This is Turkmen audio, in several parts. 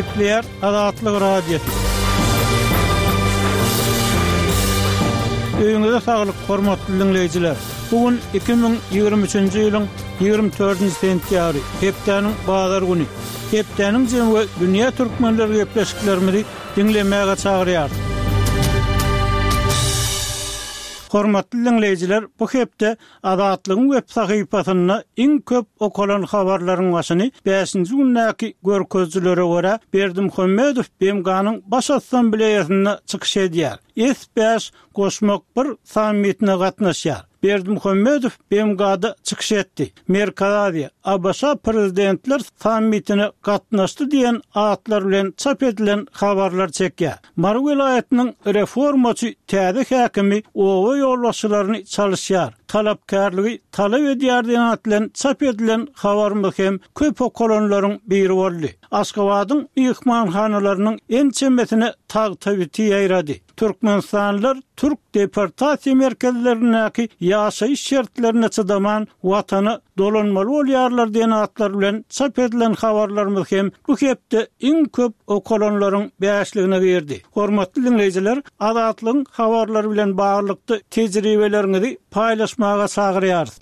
Gepleýär Azatlyk Radiosy. Öýüňize saglyk, hormatly diňleýjiler! Bu gün 2023-nji ýylyň 24-nji sentýabry, hepdäniň bazar güni. Hepdäniň jemi we dünýä türkmenleri gepleşiklerimizi diňlemäge çagyrýarys. Hormatly diňleýjiler, bu hepde Azatlygyň web sahypasynda iň köp okalan habarlaryň başyny bäşinji gündäki görkezijilere görä, Berdimuhamedow BMG-niň Baş Assambleýasynda çykyş edýär, S bäş goşmak bir sammitine gatnaşýar. Berdimuhamedow BMG-da çykyş etdi. Merkezi Aziýa, ABŞ Prezidentler sammitine gatnaşdy diýen atlar bilen çap edilen habarlar çekýär. Mary welaýatynyň reformaçy täze häkimi oba ýolbaşçylaryny çalyşýar, talapkärligi talap edýär diýen at bilen çap edilen habarymyz hem köp okalanlaryň biri boldy. Aşgabadyň myhmanhanalarynyň ençemesine tagta biti ýaýrady. Türkmenistanlylar türk deportasiýa merkezlerindäki ýaşaýyş şertlerine çydaman, Watana dolanmaly bolýarlar diýen atlar bilen çap edilen habarlarymyz hem bu hepde iň köp okalanlaryň bäşligine girdi. Hormatly diňleýjiler, Azatlygyň habarlary bilen baglylykda tejribeleriňizi paýlaşmaga çagyrýarys.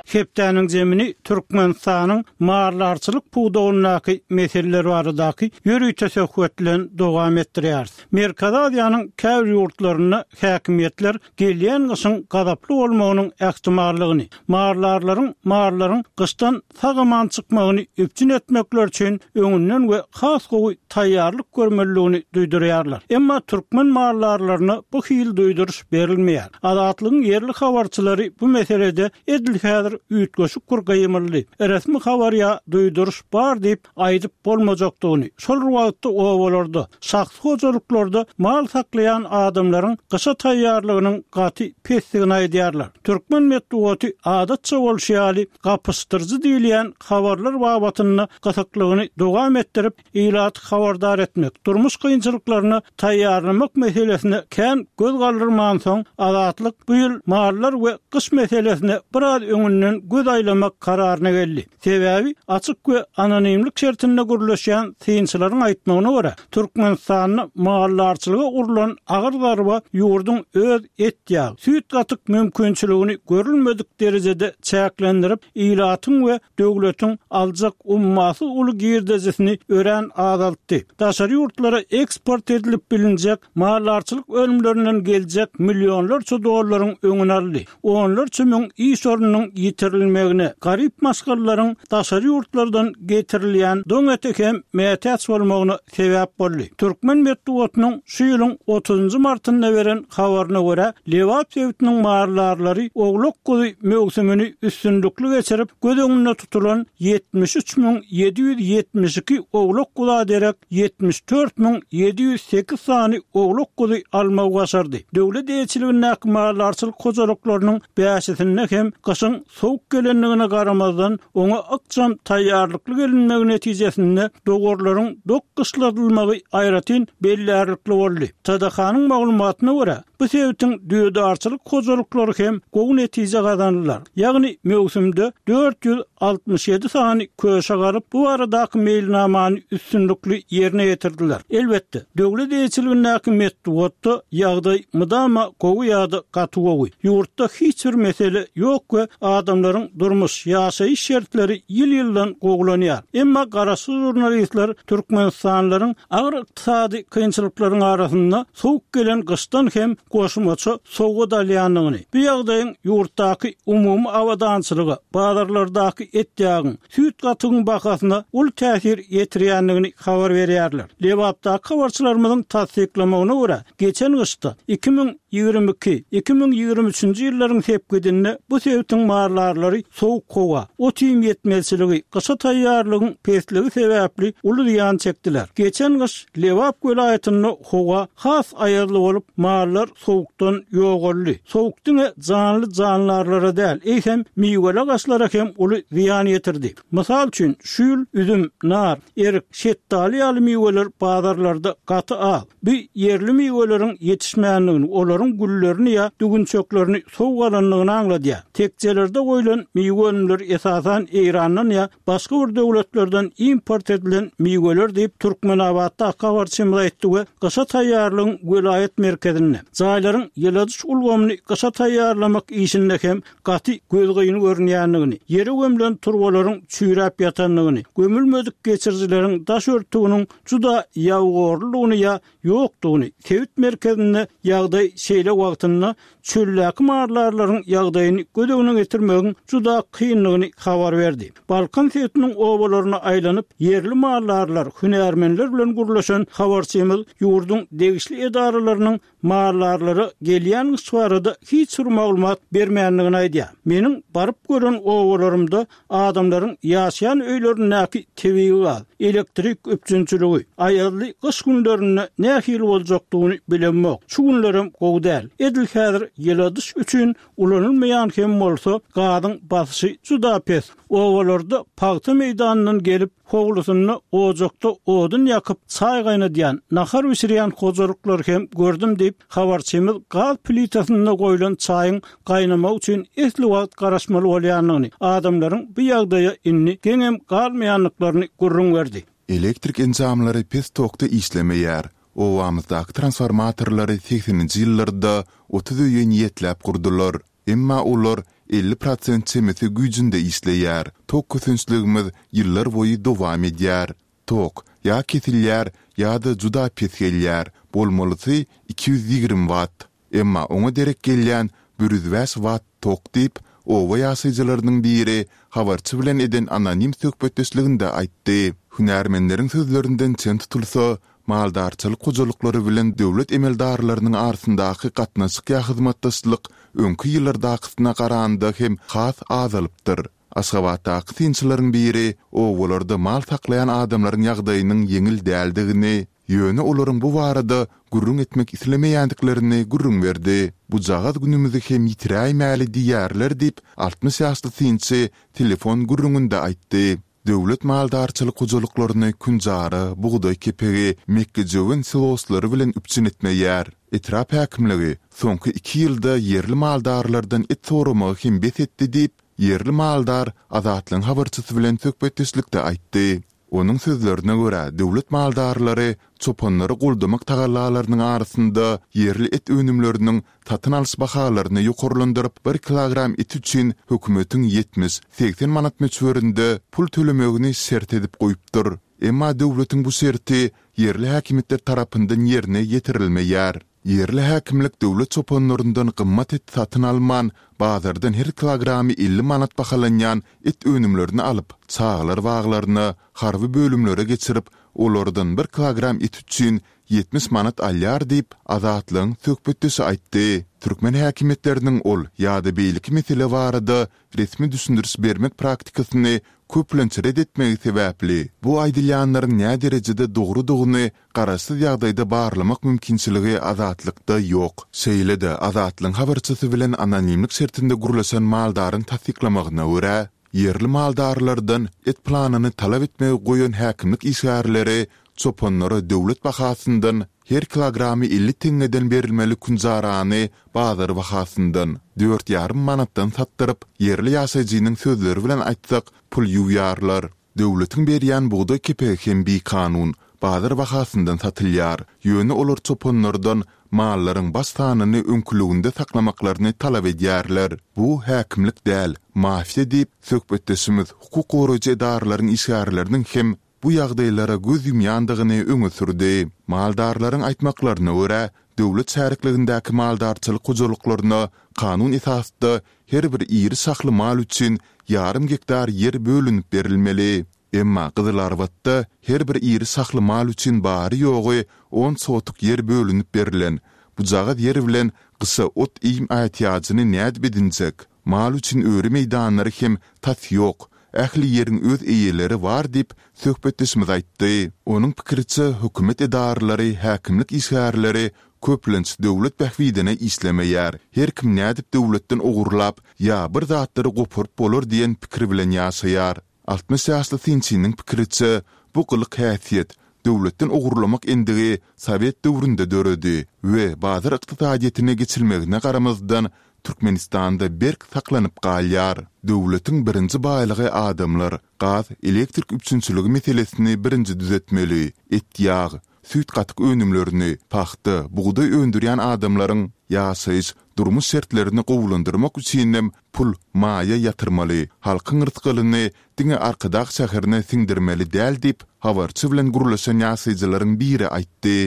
Hepdäniň zemini Türkmenistanyň maldarçylyk pudagyndaky meseleler baradaky ýörite söhbet bilen dowam etdirýäris. Merkezi Aziýanyň käbir ýurtlarynda häkimiýetler gelýän gyşyň gazaply bolmagynyň ähtimallygyny, maldarlaryň mallaryň gyşdan sag-aman çykmagyny üpjün etmekleri üçin öňünden we has gowy taýýarlyk görmelidigini duýdurýarlar. Emma türkmen maldarlaryna bu hili duýduryş berilmeýär. Azatlygyň ýerli habarçylary bu meselede edil häzir üýtgeşik bir gymyldy, resmi habar ýa duýduryş bar diýip aýdyp bolmajakdygyny, şol bir wagtda obalarda, şahsy hojalyklarda mal saklaýan adamlaryň gyşa taýýarlygynyň gaty pesdigini aýdýarlar. Türkmen metbugaty adatça bolşy ýaly, gapyşdyryjy diýilýän habarlar babatynda gysyklygyny dowam etdirip, ilaty habardar etmek, durmuş kynçylyklaryna taýýarlamak meselesine kän göz galdyrmansoň, Azatlyk bu ýyl mallar we gyş meselesine biraz öňünden göz aýlamak kararyna geldi. Sebäbi açyk we anonimlik şertinde gürleşýän synçylaryň aýtmagyna görä, Türkmenistanda maldarçylyga urlan agyr zarba ýurduň öz et-ýag, süýt-gatyk mümkinçiligini görülmedik derejede çäklendirip, ilatyň we döwletiň aljak ummasyz uly girdejisini örän azaltdy. Daşary ýurtlara eksport edilip bilinjek maldarçylyk önümlerinden geljek millionlarça dollaryň öňüni aldy. Onlarça müň iş ornunyň ýitirilmegine, garyp maşgalalaryň daşary ýurtlardan getirilýän doň ete hem mätäç bolmagyna sebäp boldy. Türkmen metbugatynyň şu ýylyň otuzynjy martynda beren habaryna görä, Lebap sebitiniň maldarlary owlak-guzy möwsümini üstünlikli geçirip, göz öňünde tutulan 73 772 owlak-guza derek 74 708 sany owlak-guzy almagy başardy. Döwlet eýeçiligindäki maldarçylyk hojalyklarynyň bäşisinde hem gyşyň sowuk gelendigine garamazdan, oňa ykjam taýýarlykly gelinmegi netijesinde dowarlaryň dok gyşladylmagy aýratyn bellärlikli boldy. TDH-nyň maglumatyna görä, bu sebitiň düýedarçylyk hojalyklary hem gowy netije gazandylar. Ýagny möwsümde 467 sany köşek alyp, bu baradaky meýilnamany üstünlikli ýerine ýetirdiler. Elbetde, döwlet eýeçiligindäki metbugatda ýagdaý mydama gowy ýa-da gaty gowy. Ýurtda hiç bir mesele ýok we adamlaryň durmuş, ýaşaýyş şertleri ýyl-ýyldan gowulanýar. Emma garaşsyz žurnalistler türkmenistanlylaryň agyr ykdysady kynçylyklaryň arasynda sowuk gelen gyşdan hem goşmaça sowgat alýandygyny, bu ýagdaýyň ýurtdaky umumy abadançylyga, bazarlardaky et-ýagyň, süýt-gatygyň bahasyna uly täsir ýetirýändigini habar berýärler. Lebapdaky habarçylarymyzyň tassyklamagyna görä, geçen gyşda 2022, 2023-nji ýyllaryň sepgidinde bu sebitiň maldarlary sowuk howa, ot-iým ýetmezçiligi, gyşa taýýarlygyň pesligi sebäpli uly zyýan çekdiler. Geçen gyş Lebap welaýatynda howa has aýazly bolup, mallar sowukdan ýogaldy. Sowuk diňe janly jandarlara däl, eýsem, miweli agaçlara hem uly zyýan ýetirdi. Mysal üçin, şu ýyl üzüm, nar, erik, şetdaly ýaly miweler bazarlarda gaty az. Bu ýerli miweleriň ýetişmändigini, olaryň güllerini ýa düwünçeklerini sowuk alandygyny aňladýar. Tekjelerde goýlan. goýlan miwe önümleri esasan Eýrandan ýa başga bir döwletlerden import edilen miweler diýip, Türkmenabatdaky habarçymyz aýtdy we gyşa taýýarlygyň welaýat merkezinde, jaýlaryň ýyladyş ulgamyny gyşa taýýarlamak işinde hem gaty gözgyny görünýändigini, ýere gömlen turbalaryň çüýräp ýatandygyny, gömülmedik geçirijileriň daş örtüginiň juda ýabygorludygyny ýa ýokdugyny, sebit merkezinde ýagdaý şeýle wagtynda çöldäki maldarlaryň ýagdaýyny göz öňüne getirmegiň juda kyndygyny habar berdi. Balkan sebitiniň obalaryna aýlanyp, ýerli maldarlar, hünärmenler bilen gürleşen habarçymyz ýurduň degişli edaralarynyň maldarlara gelýän gyş barada hiç bir maglumat bermändigini aýdýar. Meniň baryp gören obalarymda adamlaryň ýaşaýan öýlerindäki tebigy gaz, elektrik üpjünçiligi, aýazly gyş günlerinde nähili boljakdygyny bilemok. Şu günlerem gowy däl. Edil häzir ýyladyş üçin ulanylmaýan hem bolsa, gazyň basyşy juda pes. Obalarda pagta meýdanyndan gelip, howlusynda ojakda odun ýakyp, çaý gaýnadýan, nahar bişirýän hojalyklary hem gördüm diýip, habarçymyz gaz plitasynda goýlan çaýyň gaýnamagy üçin esli wagt garaşmaly bolýandygyny, adamlaryň bu ýagdaýa indi geňem galmaýandyklaryny gürrüň berdi. Elektrik enjamlary pes tokda işlemeýär. Obamyzdaky transformatorlary segseninji ýyllarda 30 öýe niýetläp gurdular. Emma olar 50 prosent çemesi güýjünde işleýär. Tok kösençligimiz ýyllar boýy dowam edýär. Tok ýa kesilýär, ýa-da juda pes gelýär, bolmalysy 220 watt. Emma oňa derek gelýän 105 watt tok diýip, oba ýaşaýjylarynyň biri habarçy bilen eden anonim söhbetdeşliginde aýtdy. Hünärmenleriň sözlerinden çen tutulsa, maldarçylyk hojalyklary bilen döwlet emeldarlarynyň arasyndaky gatnaşyk ýa hyzmatdaşlyk öňki ýyllardakysyna garanda hem has azalypdyr. Aşgabatdaky synçylaryň biri obalarda mal saklaýan adamlaryň ýagdaýynyň ýeňil däldigini, ýöne olaryň bu barada gürrüň etmek islemeýändiklerini gürrüň berdi. Bujagaz günümizi hem ýitiräýmäli diýýärler diýip, 60 ýaşly synçy telefon gürrüňinde aýtdy. Döwlet maldarçylyk hojalyklaryny künjara, bugdaý kepegi, mekgejöwen siloslary bilen üpjün etmeýär. Etrap häkimligi soňky iki ýylda ýerli maldarlardan et soramagy hem bes etdi diýip, ýerli maldar Azatlygyň habarçysy bilen söhbetdeşlikde aýtdy. Onuň sözlerine görä, döwlet maldarlary çopanlary goldamak tagallalarynyň arasynda ýerli et önümleriniň satyn alyş bahalaryny ýokarlandyryp, bir kilogram et üçin hökümetiň 70, 80 manat möçberinde pul tölemegini şert edip goýupdyr. Emma döwletiň bu şerti ýerli häkimiýetler tarapyndan ýerine ýetirilmeýär. Ýerli häkimlik döwlet çopanlaryndan gymmat et satyn alman, bazardan her kilogramy 50 manat bahalanýan et önümlerini alyp, çagalar baglaryna, harby bölümlere geçirip, olardan bir kilogram et üçin 70 manat alýar diýip, Azatlygyň söhbetdeşi aýtdy. Türkmen häkimiýetleriniň ol ýa-da beýleki mesele barada resmi düşündiriş bermek praktikasyny köplenç ret etmegi sebäpli, bu aýdylýanlaryň näderejede dogrudygyny garaşsyz ýagdaýda barlamak mümkinçiligi Azatlykda ýok. Şeýle-de, Azatlygyň habarçysy bilen anonimlik şertinde gürleşen maldaryň tassyklamagyna görä, ýerli maldarlardan et planyny talap etmegi goýan häkimlik işgärleri çopanlara döwlet bahasyndan her kilogramy 50 teňňeden berilmeli künjarany bazar bahasyndan, dört ýarym manatdan satdyryp, ýerli ýaşaýjynyň sözleri bilen aýtsak, pul ýuwýarlar. Döwletiň berýän bugdaý kepegi hem bikanun, bazar bahasyndan satylýar. Ýöne olar çopanlardan mallaryň baş sanyny öňküliginde saklamaklaryny talap edýärler. Bu häkimlik däl, mafiýa diýip, söhbetdeşimiz hukuk goraýjy edaralaryň işgärleriniň hem bu ýagdaýlara göz ýumýandygyny öňe sürdi. Maldarlaryň aýtmaklaryna görä, döwlet şärikligindäki maldarçylyk hojalyklaryna kanun esasda her bir iri şahly mal üçin ýarym gektar ýer bölünip berilmeli. Emma Gyzylarbatda her bir iri şahly mal üçin bary-ýogy on sotuk ýer bölünip berlen. Bujagaz ýer bilen gyşa ot-iým ätiýajyny nädip edinjek? Mal üçin öri meýdanlary hem tas ýok. Ähli ýeriň öz eýeleri bar diýip, söhbetdeşimiz aýtdy. Onuň pikiriçe, hökümet edaralary, häkimlik işgärleri köplenç döwlet bähbidine işlemeýär. Her kim nädip döwletden ogurlap ýa bir zatlary goparyp bolar diýen pikir bilen ýaşaýar. 60 ýaşly synçynyň pikiriçe, bu gylyk-häsiýet, döwletden ogurlamak endigi sowet döwründe döredi we bazar ykdysadyýetine geçilmegine garamazdan, Türkmenistanda berk saklanyp galýar. Döwletiň birinji baýlygy adamlar, gaz, elektrik üpjünçiligi meselesini birinji düzetmeli, et-ýag, süýt-gatyk önümlerini, pagta, bugdaý öndürýän adamlaryň ýaşaýyş, durmuş şertlerini gowulandyrmak üçinem pul, maýa ýatyrmaly, halkyň rysgalyny diňe Arkadag şäherine siňdirmeli däl diýip, habarçy bilen gürleşen ýaşaýjylaryň biri aýtdy.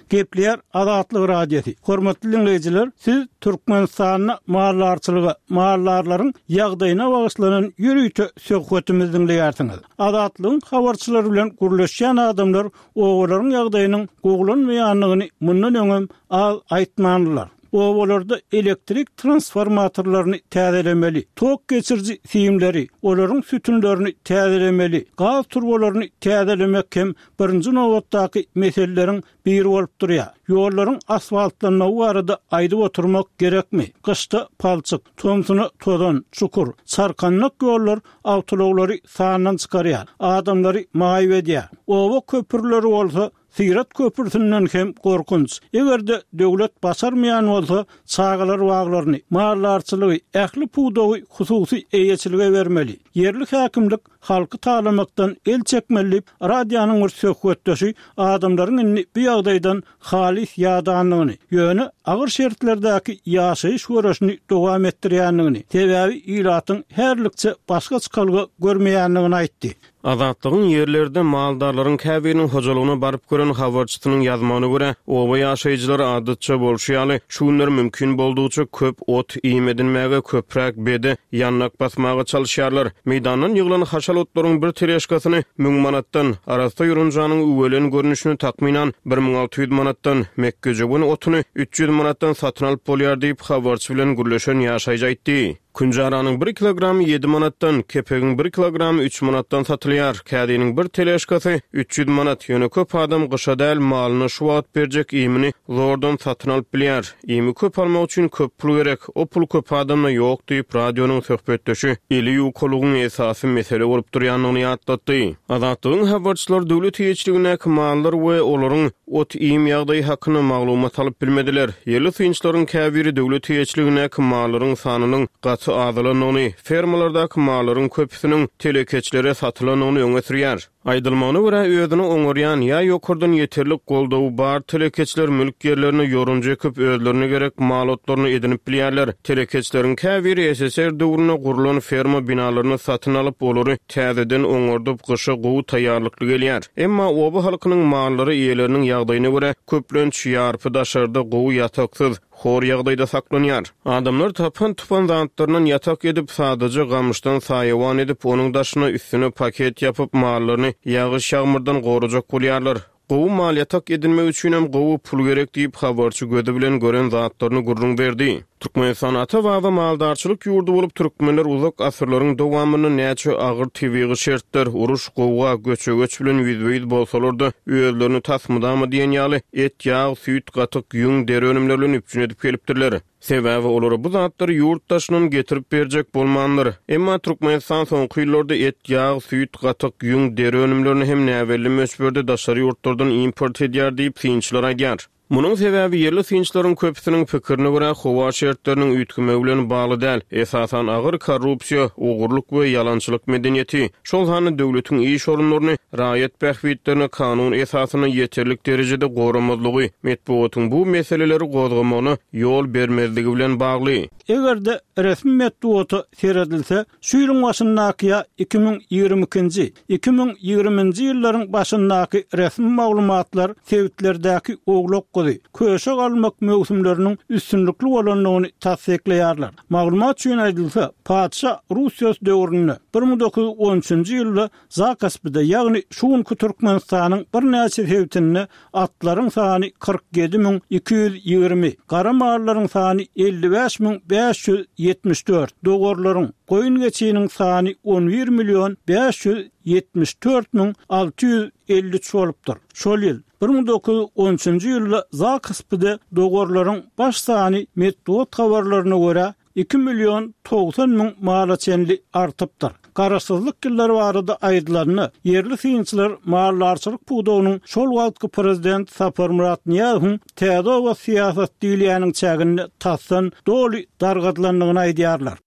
Gepleýär Azatlyk Radiosy. Hormatly diňleýjiler, siz Türkmenistanda maldarçylyga, maldarlaryň ýagdaýyna bagyşlanan ýörite söhbetimizi diňleýärsiňiz. Azatlygyň habarçylary bilen gürleşýän adamlar obalaryň ýagdaýynyň gowulanmaýandygyny mundan öňem az aýtmandylar. Obalarda elektrik transformatorlaryny täzelemeli, tok geçiriji simleri, olaryň sütünlerini täzelemeli, gaz turbalaryny täzelemek hem birinji nobatdaky meseleleriň biri bolup durýar. Ýollaryň asfaltlanmagy barada aýdyp oturmak gerekmi? Gyşda palçyk, tomsuna tozan, çukur, çarkandak ýollar awtoulaglary sandan çykarýar, adamlary maýyp edýär. Oba köprüleri bolsa Syrat köprüsinden hem gorkunç. Eger-de döwlet başarmaýan bolsa, çagalar baglaryny, maldarçylygy, ähli pudagy hususy eýeçilige bermeli. Ýerli häkimlik halky talamakdan el çekmeli diýip, radionyň bir söhbetdeşi adamlaryň indi bu ýagdaýdan halys ýadandygyny, ýöne agyr şertlerdäki ýaşaýyş göreşini dowam etdirýändigini, sebäbi ilatyň häzirlikçe başga çykalga görmeýändigini aýtdy. Azatlygyň ýerlerde maldarlaryň käbiriniň hojalygyna baryp gören habarçysynyň ýazmagyna görä, oba ýaşaýjylary adatça bolşy ýaly, şu günler mümkin boldugyça köp ot-iým edinmäge, köpräk bede, ýandak basmaga çalyşýarlar. Meýdandan ýyglan haşal otlaryň bir teležkasyny müň manatdan, arassa ýorunjanyň üwelen görnüşini takmynan 1600 manatdan, mekgejöwen otuny 300 manatdan satyn alyp bolýar diýip, habarçy bilen gürleşen ýaşaýjy aýtdy. Künjaranyň bir kilogramy ýedi manatdan, kepegiň bir kilogramy üç manatdan satylýar. Kädiniň bir teležkasy 300 manat. Ýöne köp adam gyşa däl, malyna şu wagt berjek iýmini zordan satyn alyp bilýär. Iými köp almak üçin köp pul gerek. O pul köp adamda ýok diýip, radionyň söhbetdeşi eli ýukalygyň esasy mesele bolup durýandygyny ýatlatdy. Azatlygyň habarçylary döwlet eýeçiligindäki mallar we olaryň ot-iým ýagdaýy hakynda maglumat alyp bilmediler. Ýerli synçylaryň käbiri döwlet eýeçiligindäki mallaryň sanynyň gaty azalandygyny, fermalardaky mallaryň köpüsiniň telekeçilere satylandygyny öňe sürýär. Aýdylmagyna görä, özüni oňarýan ýa ýokardan ýeterlik goldawy bar telekeçiler mülk ýerlerine ýorunja ekip, özlerine gerek mal otlaryny edinip bilýärler. Telekeçileriň käbiri ssr döwründe gurlan ferma binalaryny satyn alyp, olary täzeden oňardyp, gyşa gowy taýýarlykly gelýär. Emma oba halkynyň mallary eýeleriniň ýagdaýyna görä, köplenç, ýarpy daşarda gowy ýataksyz, Hor ýagdaýda saklanýar. Adamlar tapan-tupan zatlaryndan ýatak edip, sadaja gamyşdan saýawan edip, onuň daşyna, üstüne paket ýapyp, mallaryny ýagyş-ýagmyrdan gorajak bolýarlar. Gowy mal ýatak edinmek üçinem gowy pul gerek diýip, habarçy gözi bilen gören zatlaryny gürrüň berdi. Türkmenistan ata-baba maldarçylyk ýurdy bolup, türkmenler uzak asyrlaryň dowamynda näçe agyr tebigy şertler, uruş, gowga, göçe-göç bilen ýüzbe-ýüz bolsalar-da, özlerini tas mydama diýen ýaly et, ýag, süýt, gatyk, ýüň, deri önümleri bilen üpjün edip gelipdirler. Sebäbi olara bu zatlary ýurt daşyndan getirip berjek bolmandyr. Emma Türkmenistan soňky ýyllarda et, ýag, süýt, gatyk, ýüň, deri önümlerini hem näbelli möçberde daşary ýurtlardan import edýär diýip, synçylar aýdýar. Munuň sebäbi ýerli synçylaryň köpüsiniň pikirine görä, howa şertleriniň üýtgemegi bilen bagly däl, esasan agyr korrupsiýa, ogurlyk we ýalançylyk medeniýeti, şol sanda döwletiň iş orunlaryny raýat bähbitlerini kanun esasynda ýeterlik derejede goramazlygy, metbugatyň bu meseleleri gozgamagyna ýol bermezligi bilen bagly. Eger-de resmi metbugata seredilse, şu ýylyň başyndaky ýa 2022-nji, 2020-nji ýyllaryň başyndaky resmi maglumatlar sebitlerdäki owlak-guzy, köşek almak möwsümleriniň üstünlikli bolandygyny tassyklaýarlar. Maglumat üçin aýdylsa, patyşa Russiýasy döwründe, 1913-nji ýylda Zakaspide, ýagny şu günki Türkmenistanyň birnäçe sebitinde atlaryň sany 47 220, gara mallaryň sany 55 574, dowarlaryň, goýun-geçiniň sany 11 million 574 müň 653 bolupdyr. Şol ýyl, 1913-nji ýylda Zakaspide dowarlaryň baş sany metbugat habarlaryna görä, 2 million 90 müň mala çenli artypdyr. Garaşsyzlyk ýyllary barada aýdylanda, ýerli synçylar maldarçylyk pudagynyň şol wagtky prezident Saparmyrat Nyýazowyň Täze oba syýasaty diýilýäniň çäginde tasdan doly dargadylandygyny aýdýarlar.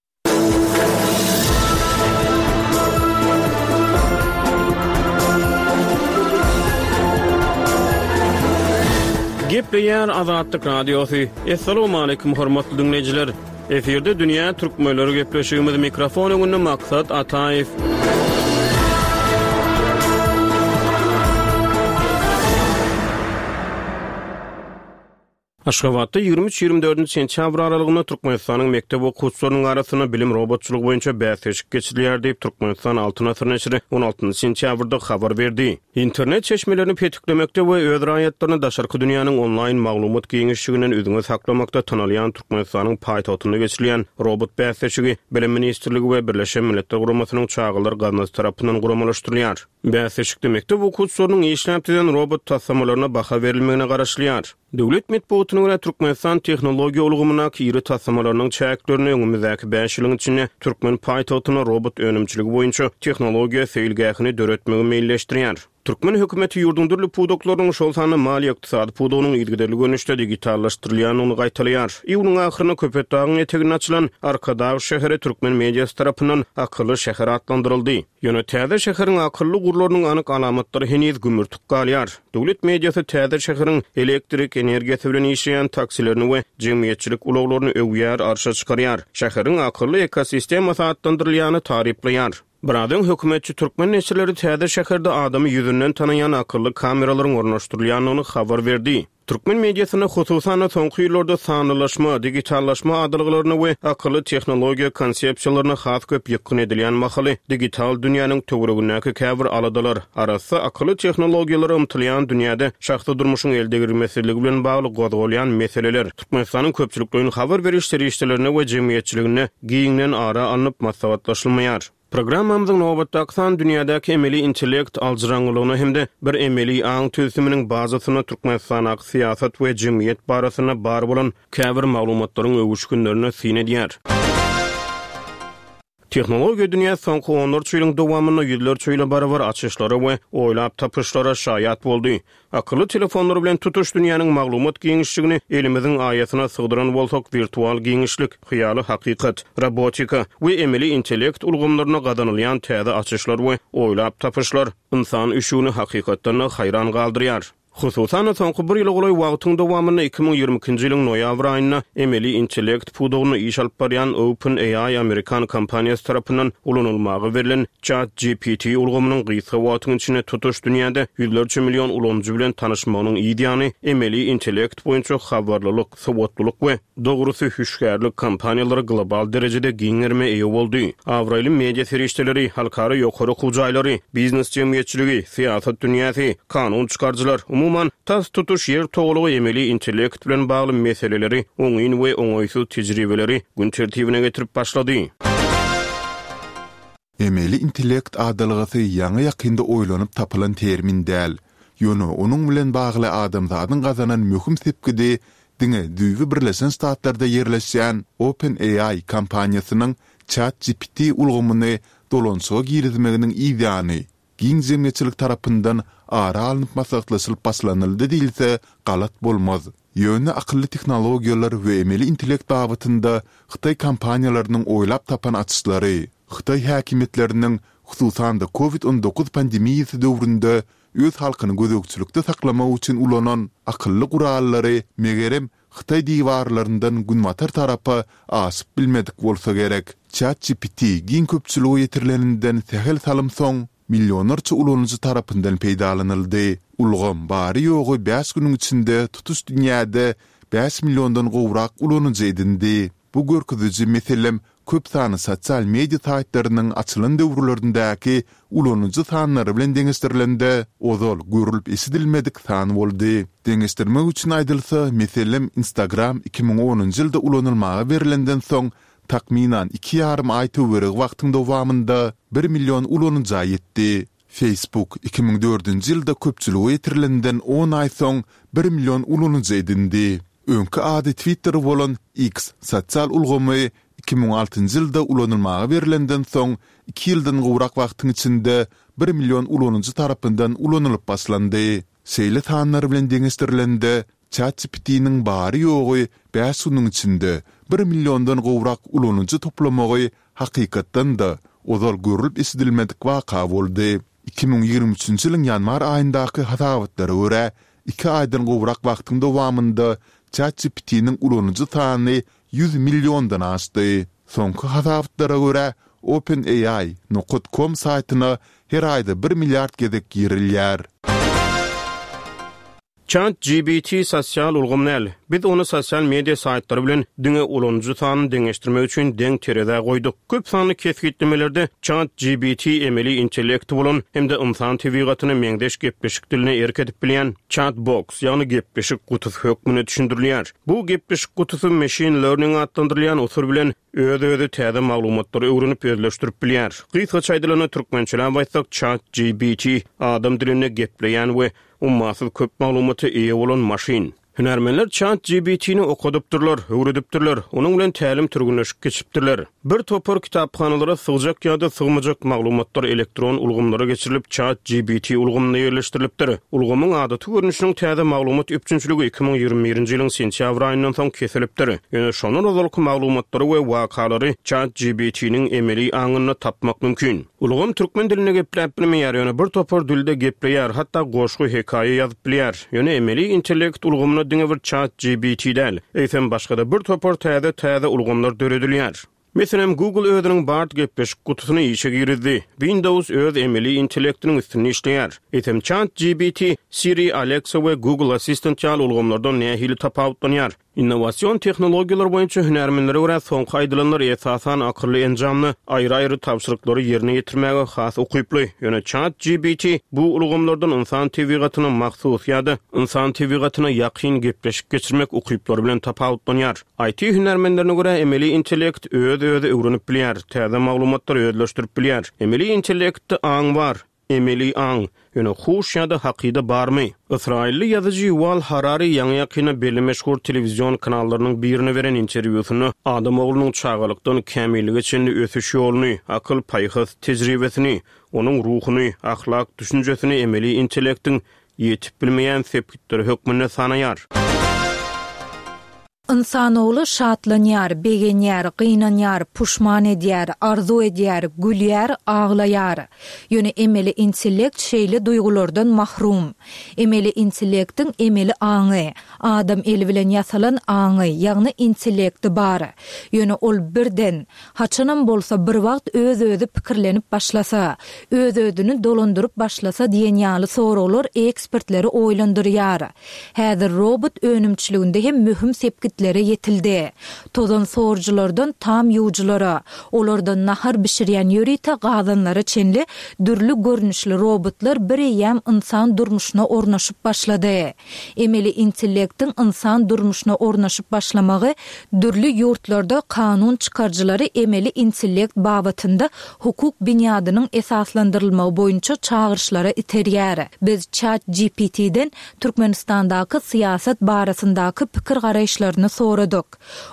Gepleýär Azatlyk Radiosy. Assalamualaikum hormatly diňleýjiler. Efirde dünýä türkmenleri gepleşigimiz mikrofon öňünde Maksat Ataýew. Aşgabatda 23-24 sentýabr aralygynda Türkmenistanyň mekdep okuwçylarynyň arasynda bilim robotçylygy boýunça bäsleşik geçirilýär diýip, Türkmenistan Altyn asyr neşiri 16 sentýabrda habar berdi. Internet çeşmelerini petiklemekde we öz raýatlaryny daşarky dünýäniň onlaýn maglumat giňişliginden üzňe saklamakda tanalýan Türkmenistanyň paýtagtynda geçirilýän robot bäsleşigi Bilim ministrligi we Birleşen Milletler Guramasynyň Çagalar gaznasy tarapyndan guramalaşdyrylýar. Bäsleşikde mekdep okuwçylarynyň işläp düzen robot taslamalaryna baha berilmegine garaşylýar. Döwlet metbugatyna görä, Türkmenistan tehnologiýa ulgamyndaky iri taslamalarynyň çäklerinde öňümizdäki bäş ýylyň içinde türkmen paýtagtynda robot önümçiligi boýunça tehnologiýa seýilgähini döretmegi meýilleşdirýär. Türkmen hökümeti ýurduň dürli pudaklarynyň, şol sanda maliýe-ykdysady pudagynyň yzygiderli görnüşde digitallaşdyrylýandygyny gaýtalaýar. Iýunyň ahyrynda Köpetdagyň eteginde açylan Arkadag şäheri türkmen mediasy tarapyndan akylly şäher atlandyryldy. Ýöne täze şäheriň akylly gurlarynyň anyk alamatlary heniz gümürtik galýar. Döwlet mediasy täze şäheriň elektrik energiýasy bilen işleýän taksilerini we jemgyýetçilik ulaglaryny öwýär, arşa çykarýar. Şäheriň akylly ekosistemasy atlandyrylýany taryplaýar. Biraz öň hökümetçi türkmen neşirleri täze şäherde adamy ýüzünden tanaýan akylly kameralaryň ornaşdyrylýandygyny habar berdi. Türkmen mediasynda, hususan-da, soňky ýyllarda sanlylaşma, digitallaşma adalgalaryna we akylly tehnologiýa konsepsiýalaryna has köp ýykgyn edilýän mahaly, digital dünýäniň töweregindäki käbir aladalar, arassa akylly tehnologiýalara ymtylýan dünýäde şahsy durmuşyň eldegrilmesizligi bilen bagly gozgalýan meseleler Türkmenistanyň köpçülikleýin habar beriş serişdelerinde we jemgyýetçiliginde giňden ara alnyp maslahatlaşylmaýar. Programmamyzyň nobatdaky sany dünýädäki emeli intellekt aljyraňňylygyna hem-de bir emeli aň tüzüminiň bazasynda Türkmenistandaky syýasat we jemgyýet barasynda bar bolan käbir maglumatlaryň öwüşginlerine syn edýär. Tehnologiýa dünýäsi soňky onlarça ýylyň dowamynda ýüzlerçe ýyla barabar açyşlara we oýlap tapyşlara şaýat boldy. Akylly telefonlar bilen tutuş dünýäniň maglumat giňişligini elimiziň aýasyna sygdyran bolsak, wirtual giňişlik, hyýaly hakykat, robotika we emeli intellekt ulgamlarynda gazanylýan täze açyşlar we oýlap tapyşlar ynsan üşügini hakykatdan-da haýran galdyrýar. Hususan-da, soňky bir ýyla golaý wagtyň dowamynda 2022-nji ýylyň noýabr aýynda emeli intellekt pudagynda iş alyp barýan OpenAI amerikan kompaniýasy tarapyndan ulanylmaga berlen ChatGPT ulgamynyň gysga wagtyň içinde tutuş dünýäde ýüzlerçe million ulanyjy bilen tanyşmagynyň yz ýany, emeli intellekt boýunça habarlylyk, sowatlylyk we, dogrusy, hüşgärlik kampaniýalary global derejede giň gerime eýe boldy. Abraýly media serişdeleri, halkara ýokary okuw jaýlary, biznes jemgyýetçiligi, syýasat dünýäsi, kanun çykaryjylar, umuman, tas tutuş Ýer togalagy emeli intellekt bilen bagly meseleleri, oňyn we oňaýsyz tejribeleri gün tertibine getirip başlady. Emeli intellekt adalgasy ýaňy-ýakynda oýlanyp tapylan termin däl. Ýöne onuň bilen bagly adamzadyň gazanan möhüm sepgidi diňe düýbi Birleşen Ştatlarda ýerleşýän OpenAI kompaniýasynyň ChatGPT ulgamyny dolanyşyga girizmeginiň yzýany giň jemgyýetçilik tarapyndan ara alnyp maslahatlaşylyp başlanyldy diýilse galat bolmaz. Ýöne akylly tehnologiýalar we emeli intellekt babatynda hytaý kompaniýalarynyň oýlap tapan açyşlary, hytaý häkimiýetleriniň, hususan-da Covid 19 pandemiýasy döwründe öz halkyny gözegçilikde saklamak üçin ulanan akylly gurallary megerem hytaý diwarlaryndan günbatar tarapa aşyp bilmedik bolsa gerek. ChatGPT giň köpçülige ýetirileninden sähel salym soň, millionlarça ulanyjy tarapyndan peýdalanyldy. Ulgam bary-ýogy bäş günüň içinde tutuş dünýäde bäş milliondan gowrak ulanyjy edindi. Bu görkeziji, meselem, köp sanly sosial media saýtlarynyň açylan döwürlerindäki ulanyjy sanlary bilen deňeşdirilende, ozal görlüp-eşidilmedik san boldy. Deňeşdirmek üçin aýdylsa, meselem, Instagram 2010-njy ýylda ulanylmaga berlenden soň, takmynan iki ýarym aý töweregi wagtyň dowamynda bir million ulanyja ýetdi. Facebook 2004-nji ýylda köpçülige ýetirilenden on aý soň bir million ulanyjy edindi. Öňki ady Twitter bolan X sosial ulgamy. 2006-njy ýylda ulanylmaga berlenden soň, iki ýyldan gowrak wagtyň içinde bir million ulanyjy tarapyndan ulanylyp başlandy. Şeýle sanlar bilen deňeşdirilende, ChatGPT-niň bary-ýogy bäş günüň içinde bir milliondan gowrak ulanyjy toplamagy hakykatdan-da, ozal görlüp-eşidilmedik waka boldy. 2023-nji ýylyň ýanwar aýyndaky hasabatlara görä, iki aýdan gowrak wagtyň dowamynda ChatGPT-niň ulanyjy sany 100 milliondan aşdy. Soňky hasabatlara görä, OpenAI nokat com saýtyna her aýda bir milliard gezek girilýär. Chat GPT sosial ulgam däl. Biz ony sosial media saýtlary bilen diňe ulanyjy sanyny deňeşdirmek üçin deň terezä goýduk. Köp sanly kesgitlemelerde Chat GPT emeli intellekti bolan hem-de ynsan tebigatyna meňzeş gepleşik diline erk edip bilýän chat-box, ýagny gepleşik gutusy hökmünde düşündirilýär. Bu gepleşik gutusy machine learning atlandyrylýan usul bilen öz-özi täze maglumatlary öwrenip özleşdirip bilýär. Gysgaça aýdylanda türkmençeläp aýtsak Chat GPT adam dilinde gepleýän we Ummasyz köp maglumata eýe bolan maşyn. Hünärmenler Chat GPT-ni okadypdyrlar, öwredipdirler, onuň bilen tälim-türgenleşik geçipdirler. Bir topar kitaphanalara sygjak ýa-da sygmajak maglumatlar elektron ulgamlara geçirilip, Chat GPT ulgamynda ýerleşdirilipdir. Ulgamyň adaty görnüşiniň täze maglumat üpjünçiligi 2021-nji ýylyň sentýabr aýyndan soň kesilipdir. Ýöne şondan ozalky maglumatlary we wakalary Chat GPT-niň emeli aňynda tapmak mümkin. Ulgam türkmen dilinde gepläp bilmeýär, ýöne bir topar dilde gepleýär, hatda goşgy, hekaýa ýazyp bilýär. Ýöne emeli intellekt ulgamyna diňe bir Chat GPT däl, eýsem başga-da bir topar täze-täze ulgamlar döredilýär. Meselem, Google özüniň Bard gepleşik gutusyny işe girizdi. Windows öz emeli intellektiniň üstünde işleýär. Eýsem Chat GPT, Siri, Alexa we Google Assistant ýaly ulgamlardan nähili tapawutlanýar? Innowasion tehnologiýalar boýunça hünärmenlere görä, soňky aýdylanlar esasan akylly enjamda aýry-aýry tabşyryklary ýerine ýetirmäge has ukyply. Ýöne Chat GPT bu ulgamlardan ynsan tebigatyna mahsus ýa-da ynsan tebigatyna ýakyn gepleşik geçirmek ukyplary bilen tapawutlanýar. IT hünärmenlerine görä, emeli intellekt öz-özi öwrenip bilýär, täze maglumatlary özleşdirip bilýär. Emeli intellektde aň bar. Emeli aň, ýöne huş ýa-da hakyda barmy? Ysraýylly ýazyjy Ýuwal Harari ýaňy-ýakynda belli meşhur telewizion kanallarynyň birine beren interwýusynda adam oglunyň çagalykdan kämillige çenli ösüş ýoluny, akyl-paýhas tejribesini, onuň ruhuny, ahlak düşünjesini emeli intellektiň ýetip bilmeýän sepgitleri hökmünde sanaýar. Ynsanogly şatlanýar, begenýär, gynanýar, puşman edýär, arzuw edýär, gülýär, aglaýar. Ýöne emeli intellekt şeýle duýgulardan mahrum. Emeli intellektiň emeli aňy, adam eli bilen ýasalan aňy, ýagny intellekti bar. Ýöne ol birden, haçanam bolsa bir wagt öz-özi pikirlenip başlasa, öz-özüni dolandyryp başlasa diýen ýaly soraglar ekspertleri oýlandyrýar. Häzir robot önümçiliginde hem möhüm sepgitlere ýetildi. Tozan sorujylardan tam ýuwujylara, olardan nahar bişirýän ýörite gazanlara çenli dürli görnüşli robotlar bireýýäm ynsan durmuşyna ornaşyp başlady. Emeli intellektiň ynsan durmuşyna ornaşyp başlamagy dürli ýurtlarda kanun çykaryjylary emeli intellekt babatynda hukuk binýadynyň esaslandyrylmagy boýunça çagyryşlara iterýär. Biz Chat GPT-den Türkmenistandaky syýasat barasyndaky pikir-garaýyşlaryny soradyk.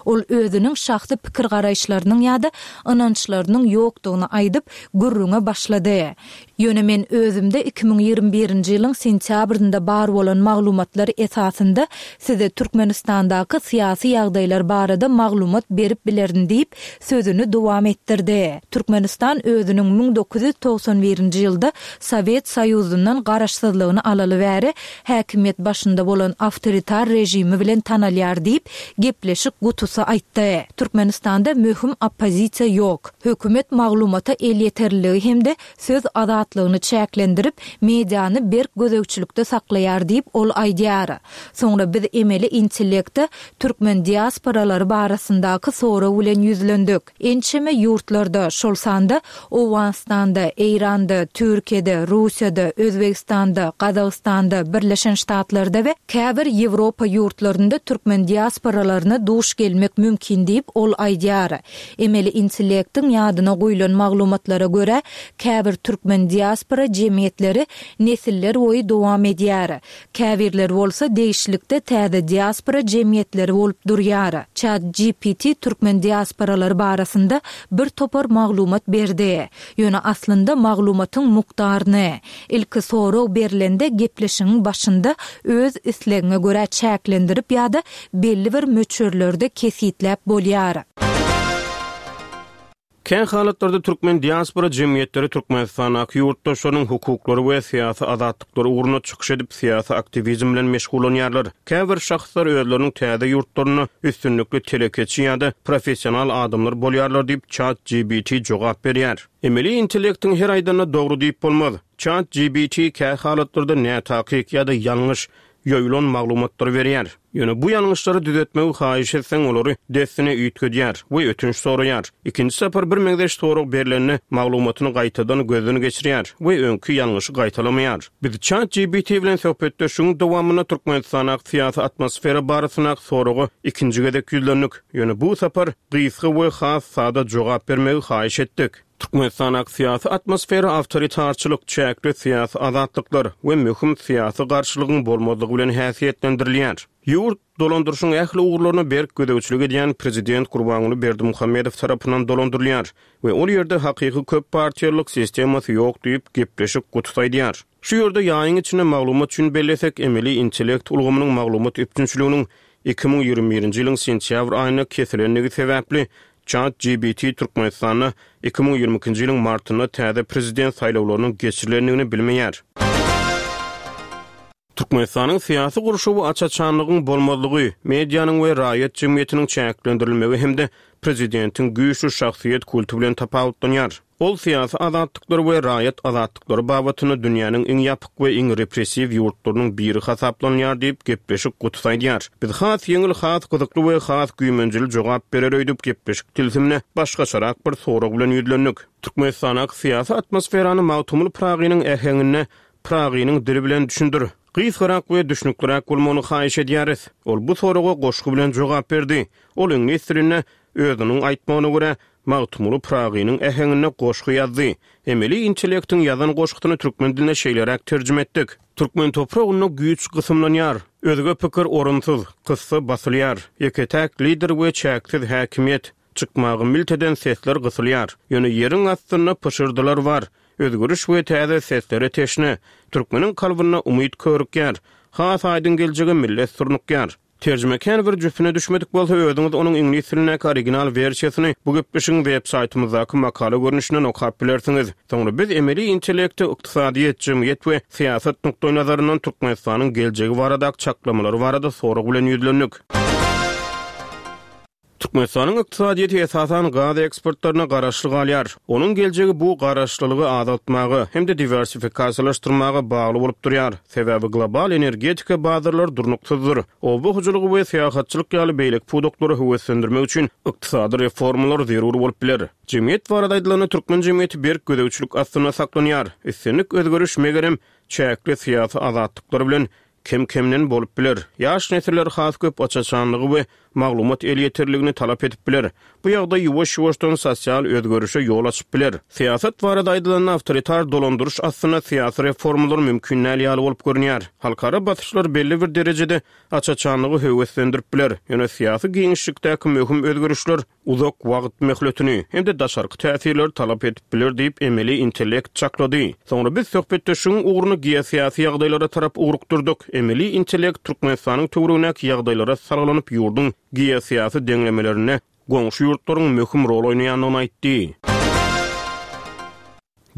Ol özüniň şahsy pikir-garaýyşlarynyň ýa-da ynançlarynyň ýokdugyny aýdyp, gürrüňe başlady. Ýöne men özümde 2021-nji ýylyň sentýabrynda bar bolan maglumatlar esasynda size Türkmenistandaky syýasy ýagdaýlar barada maglumat berip bilerin diýip, sözüni dowam etdirdi. Türkmenistan özüniň 1991-nji ýylda Sowet Soýuzyndan garaşsyzlygyny alaly bäri häkimiýet başynda bolan awtoritar režimi bilen tanalýar diýip, gepleşik gutusy aýtdy. Türkmenistanda möhüm oppozisiýa ýok. Hökümet maglumata elýeterliligi hem-de söz azatlygyny çäklendirip, mediany berk gözegçilikde saklaýar diýip, ol aýdýar. Soňra biz emeli intellekte türkmen diasporalary barasyndaky sorag bilen ýüzlendik. Ençeme ýurtlarda, şol sanda Owganystanda, Eýranda, Türkiýede, Russiýada, Özbegistanda, Gazagystanda, Birleşen Ştatlarda we käbir Ýewropa ýurtlarynda türkmen diasporalary. diasporalaryna duş gelmek mümkin diýip, ol aýdýar. Emeli intellektiň ýadyna guýlan maglumatlara görä, käbir türkmen diaspora jemgyýetleri nesiller boýy dowam edýär. Käbirleri bolsa degişlilikde täze diaspora jemgyýetleri bolup durýar. Chat GPT türkmen diasporalary barasynda bir topar maglumat berdi. Ýöne aslynda maglumatyň mukdaryny, ilki sorag berlende gepleşigiň başynda öz islegiňe görä çäklendirip ýa-da belli bir möçberlerde kesgitläp bolýar. Kä halatlarda türkmen diaspora jemgyýetleri Türkmenistandaky ýurtdaşlarynyň hukuklary we syýasy azatlyklary ugrunda çykyş edip, syýasy aktiwizm bilen meşgullanýarlar. Käbir şahslar özleriniň täze ýurtlarynda üstünlikli telekeçi ýa-da professional adamlar bolýarlar diýip, ChatGPT jogap berýär. Emeli intellektiň her aýdanyna dogry diýip bolmaz. ChatGPT kä halatlarda nätakyk ýa-da ýalňyş, ýoýulan maglumatlary berýär. Ýöne bu ýalňyşlary düzetmegi haýyş etseň, olary dessine üýtgedýär we ötünç soraýar. Ikinji sapar birmeňzeş sorag berlende, maglumatyny gaýtadan gözden geçirýär we öňki ýalňyşy gaýtalamaýar. Biz ChatGPT bilen söhbetdeşligiň dowamynda Türkmenistandaky syýasy atmosfera barasyndaky soraga ikinji gezek ýüzlendik. Ýöne bu sapar gysga we has sada jogap bermegi haýyş etdik. Türkmenistandaky syýasy atmosfera awtoritarçylyk, çäkli syýasy azatlyklar we möhüm syýasy garşylygyň bolmazlygy bilen häsiýetlendirilýär. Ýurt, dolandyryşyň ähli ugurlaryna berk gözegçilik edýän prezident Gurbanguly Berdimuhamedow tarapyndan dolandyrylýar we ol ýerde hakyky köp partiýalylyk sistemasy ýok diýip, gepleşik gutusy aýdýar. Şu ýerde ýaýyň içinde maglumat üçin bellesek, emeli intellekt ulgamynyň maglumat üpjünçiliginiň 2021-nji ýylyň sentýabr aýynda kesilendigi sebäpli, ChatGPT Türkmenistanda 2022-nji ýylyň martynda täze prezident saýlawlarynyň geçirilendigini bilmeýär. Türkmenistanyň syýasy gurşawy aç-açanlygyň bolmazlygy, medianyň we raýat jemgyýetiniň çäklendirilmegi hem-de prezidentiň güýçli şahsyýet kulty bilen tapawutlanýar. Ol syýasy azatlyklar we raýat azatlyklary babatynda dünýäniň iň ýapyk we iň repressiw ýurtlarynyň biri hasaplanylýar diýip, gepleşik gutusy aýdýar. Biz has ýeňil, has gyzykly we has güýmenjeli jogap berer öýdüp, gepleşik tilsimine başgaçarak bir sorag bilen ýüzlendik. Türkmenistandaky syýasy atmosferany Magtymguly Pyragynyň äheňinde, Pyragynyň dili bilen düşündir. Gysgarak we düşnükliräk bolmagyny haýyş edýäris. Ol bu soraga goşgy bilen jogap berdi. Ol iňlis dilinde, özüniň aýtmagyna görä, Magtymguly Pyragynyň äheňinde goşgy ýazdy. Emeli intellektiň ýazan goşgusyny türkmen diline şeýleräk terjime etdik. Türkmen topragynda güýç gysymlanýar. Özge pikir orunsyz, kyssa basylýar. Ýeke-täk lider we çäksiz häkimiýet. Çykmagy milt eden sesler gysylýar. Ýöne ýeriň astynda pyşyrdylar bar. Özgeriş we täze seslere teşne. Türkmeniň kalbynda umyt körükýär. Has aýdyň geljege millet surnukýar. Terjime kän bir jüpüne düşmedik bolsa özüňiz onuň iňlis dilindäki original wersiýasyny bu gepleşigiň web saýtymyzdaky makala görnüşinden okap bilersiňiz. Soňra biz emeli intellekte ykdysadyýet, jemgyýet we syýasat nukdaýnazaryndan Türkmenistanyň geljegi baradaky çaklamalary barada sorag bilen ýüzlendik. Türkmenistanyň ykdysadyýeti esasan gaz eksportlaryna garaşly galýar. Onuň geljegi bu garaşlylygy azaltmaga hem-de diwersifikasiýalaşdyrmaga bagly bolup durýar, sebäbi global energetika bazarlary durnuksyzdyr. Oba hojalygy we syýahatçylyk ýaly beýleki pudaklary höweslendirmek üçin ykdysady reformalar zerur bolup biler. Jemgyýet barada aýdylanda, türkmen jemgyýeti berk gözegçilik astynda saklanýar. Islendik özgeriş, megerem, çäkli syýasy azatlyklar bilen Kem-kemden bolup biler. Ýaş nesiller has köp aç-açanlygy we maglumat elýeterligini talap edip biler. Bu ýagdaý ýuwaş-ýuwaşdan sosial özgerişe ýol açyp biler. Syýasat barada aýdylanda, awtoritar dolandyryş astynda syýasy reformalar mümkin däl ýaly bolup görünýär. Halkara basyşlar belli bir derejede aç-açanlygy höweslendirip biler, ýöne syýasy giňişlikdäki möhüm özgerişler uzak wagt möhletini hem-de daşarky täsirleri talap edip biler diýip, emeli intellekt çaklady. Soňra biz söhbetdeşligiň ugruny geosyýasy ýagdaýlara tarap ugrukdyrdyk. Emeli intellekt Türkmenistanyň töweregindäki ýagdaýlara salgylanyp, ýurduň geosyýasy deňlemelerinde goňşy ýurtlaryň möhüm rol oýnaýandygyny aýtdy.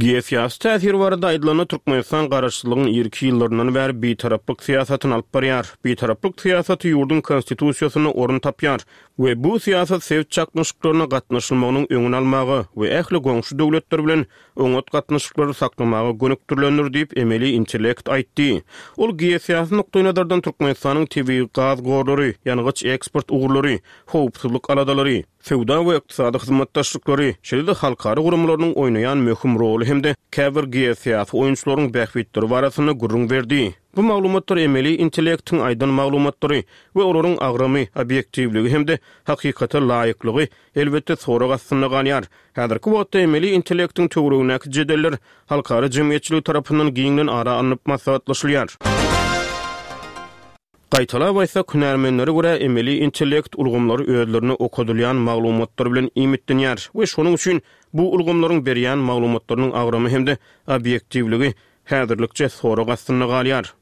Geosyýasy täsir barada aýdylanda, Türkmenistan garaşsyzlygyň irki ýyllaryndan bäri bitaraplyk syýasatyny alyp barýar. Bitaraplyk syýasaty ýurduň Konstitusiýasynda orun tapýar we bu syýasat sebit çaknyşyklaryna gatnaşylmagynyň öňüni almaga we ähli goňşy döwletler bilen oňat gatnaşyklary saklamaga gönükdirilendir diýip, emeli intellekt aýtdy. Ol geosyýasy nukdaýnazardan Türkmenistanyň tebigy gaz gorlary, ýangyç eksport ugurlary, howpsuzlyk aladalary, söwda we ykdysady hyzmatdaşlyklary, şeýle-de halkara guramalarynyň oýnaýan möhüm roly hem-de käbir geosyýasy oýunçylaryň bähbitleri barasynda gürrüň berdi. Bu maglumatlar emeli intellektiň aýdan maglumatlary we olaryň agramy, obýektiwligi hem-de hakykata laýyklygy, elbetde, sorag astynda galýar. Häzirki wagtda emeli intellektiň töweregindäki jedeller halkara jemgyýetçiligi tarapyndan giňden ara alnyp maslahatlaşylýar. Gaýtalap aýtsak, hünärmenlere görä, emeli intellekt ulgamlary özlerine okadylýan maglumatlar bilen iýmitlenýär we şonuň üçin bu ulgamlaryň berýän maglumatlarynyň agramy hem-de obýektiwligi häzirlikçe sorag astynda galýar.